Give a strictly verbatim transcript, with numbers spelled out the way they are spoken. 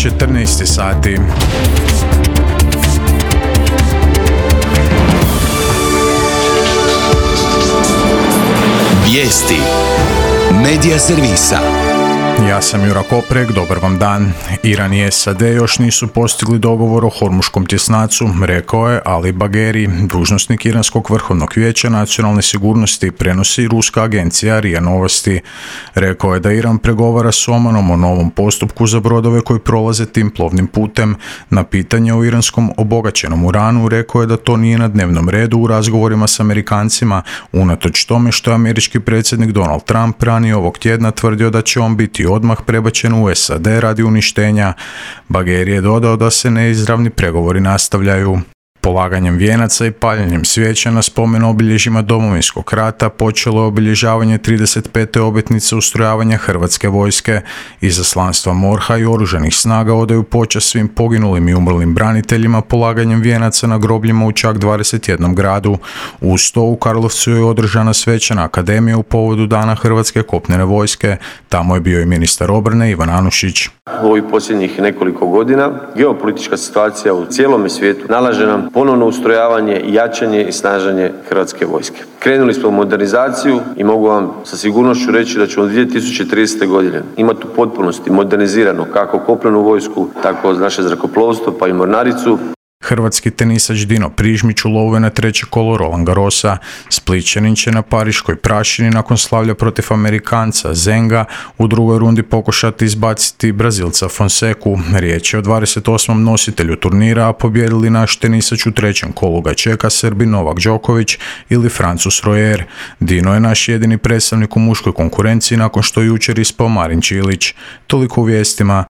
četrnaest sati. Vijesti Medija servisa. Ja sam Jura Koprek, dobar vam dan. Iran i S A D još nisu postigli dogovor o Hormuškom tjesnacu, rekao je Ali Bagheri, dužnosnik Iranskog vrhovnog vijeća nacionalne sigurnosti, prenosi ruska agencija R I A Novosti. Rekao je da Iran pregovara s Omanom o novom postupku za brodove koji prolaze tim plovnim putem. Na pitanje o iranskom obogaćenom uranu rekao je da to nije na dnevnom redu u razgovorima s Amerikancima, unatoč tome što je američki predsjednik Donald Trump ranije ovog tjedna tvrdio da će on biti odmah prebačen u S A D radi uništenja. Bagheri je dodao da se neizravni pregovori nastavljaju. Polaganjem vijenaca i paljenjem svijeća na spomen obilježjima Domovinskog rata počelo je obilježavanje trideset pete obljetnice ustrojavanja Hrvatske vojske. Izaslanstva MORH-a i oružanih snaga odaju počast svim poginulim i umrlim braniteljima polaganjem vijenaca na grobljima u čak dvadeset jednom gradu. Uz to u Karlovcu je održana svečana akademija u povodu Dana Hrvatske kopnene vojske. Tamo je bio i ministar obrane Ivan Anušić. U ovih posljednjih nekoliko godina geopolitička situacija u cijelom svijetu nalaže nam ponovno ustrojavanje, jačanje i snaženje Hrvatske vojske. Krenuli smo u modernizaciju i mogu vam sa sigurnošću reći da ćemo dvije tisuće tridesete. godine imati u potpunosti modernizirano kako kopnenu vojsku, tako naše zrakoplovstvo pa i mornaricu. Hrvatski tenisač Dino Prižmić ulovio na treće kolo Roland Garrosa. Splićanin će na pariškoj prašini nakon slavlja protiv Amerikanca Zenga u drugoj rundi pokušati izbaciti Brazilca Fonseku. Riječ je o dvadeset osmom nositelju turnira, a pobijedili naš tenisač u trećem kolu ga čeka Srbi Novak Đoković ili Francus Rojer. Dino je naš jedini predstavnik u muškoj konkurenciji nakon što je jučer ispao Marin Čilić. Toliko u vijestima.